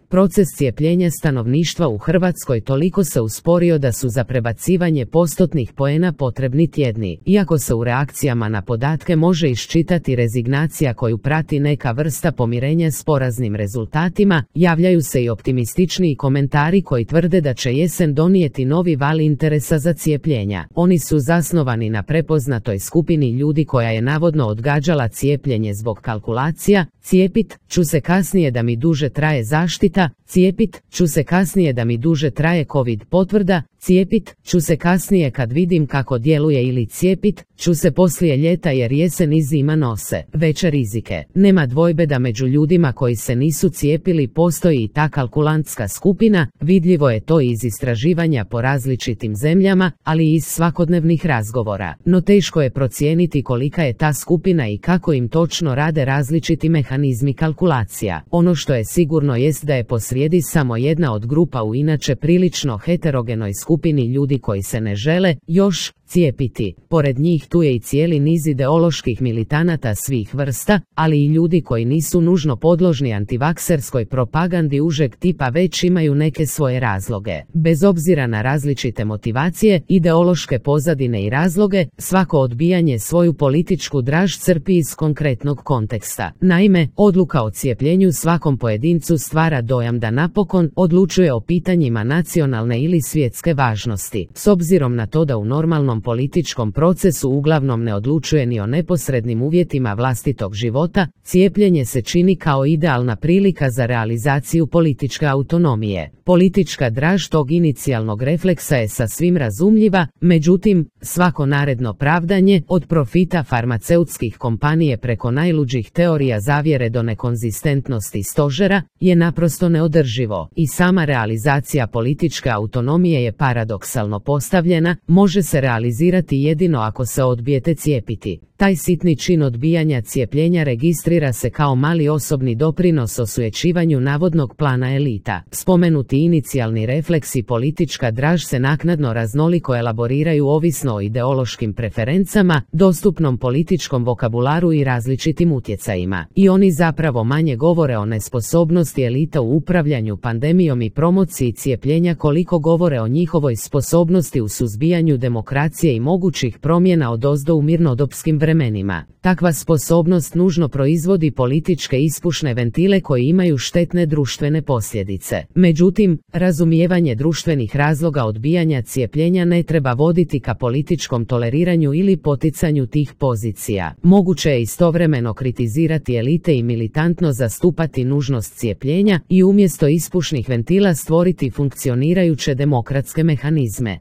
proces cijepljenja stanovništva u Hrvatskoj toliko se usporio da su za prebacivanje postotnih poena potrebni tjedni. Iako se u reakcijama na podatke može iščitati rezignacija koju prati neka vrsta pomirenja s poraznim rezultatima, javljaju se i optimističniji komentari koji tvrde da će jesen donijeti novi val interesa za cijepljenja. Oni su zasnovani na prepoznatoj skupini ljudi koja je navodno odgađala cijepljenje zbog kalkulacija: cijepit ću se kasnije da mi duže traje zaštita, cijepit ću se kasnije da mi duže traje COVID potvrda, cijepit ću se kasnije kad vidim kako djeluje, ili cijepit ću se poslije ljeta jer jesen i zima nose veće rizike. Nema dvojbe da među ljudima koji se nisu cijepili postoji i ta kalkulantska skupina, vidljivo je to iz istraživanja po različitim zemljama, ali i iz svakodnevnih razgovora. No teško je procijeniti kolika je ta skupina i kako im točno rade različiti mehanizmi kalkulacija. Ono što je sigurno jest da je posrijedi samo jedna od grupa u inače prilično heterogenoj skupini ljudi koji se ne žele još cijepiti. Pored njih tu je i cijeli niz ideoloških militanata svih vrsta, ali i ljudi koji nisu nužno podložni antivakserskoj propagandi užeg tipa, već imaju neke svoje razloge. Bez obzira na različite motivacije, ideološke pozadine i razloge, svako odbijanje svoju političku draž crpi iz konkretnog konteksta. Naime, odluka o cijepljenju svakom pojedincu stvara dojam da napokon odlučuje o pitanjima nacionalne ili svjetske važnosti. S obzirom na to da u normalnom političkom procesu uglavnom ne odlučuje ni o neposrednim uvjetima vlastitog života, cijepljenje se čini kao idealna prilika za realizaciju političke autonomije. Politička draž tog inicijalnog refleksa je sasvim razumljiva, međutim, svako naredno pravdanje, od profita farmaceutskih kompanije preko najluđih teorija zavjere do nekonzistentnosti stožera, je naprosto neodrživo. I sama realizacija političke autonomije je paradoksalno postavljena, može se realizirati jedino ako se odbijete cijepiti. Taj sitni čin odbijanja cijepljenja registrira se kao mali osobni doprinos osujećivanju navodnog plana elita. Spomenuti inicijalni refleks i politička draž se naknadno raznoliko elaboriraju ovisno o ideološkim preferencama, dostupnom političkom vokabularu i različitim utjecajima. I oni zapravo manje govore o nesposobnosti elita u upravljanju pandemijom i promociji cijepljenja koliko govore o njihovoj sposobnosti u suzbijanju demokracije i mogućih promjena odozdo u mirnodopskim vremenima. Takva sposobnost nužno proizvodi političke ispušne ventile koji imaju štetne društvene posljedice. Međutim, razumijevanje društvenih razloga odbijanja cijepljenja ne treba voditi ka političkom toleriranju ili poticanju tih pozicija. Moguće je istovremeno kritizirati elite i militantno zastupati nužnost cijepljenja i umjesto ispušnih ventila stvoriti funkcionirajuće demokratske mehanizme.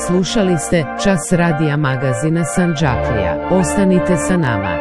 Slušali ste Čas radija magazina Sandžaklija. Ostanite sa nama.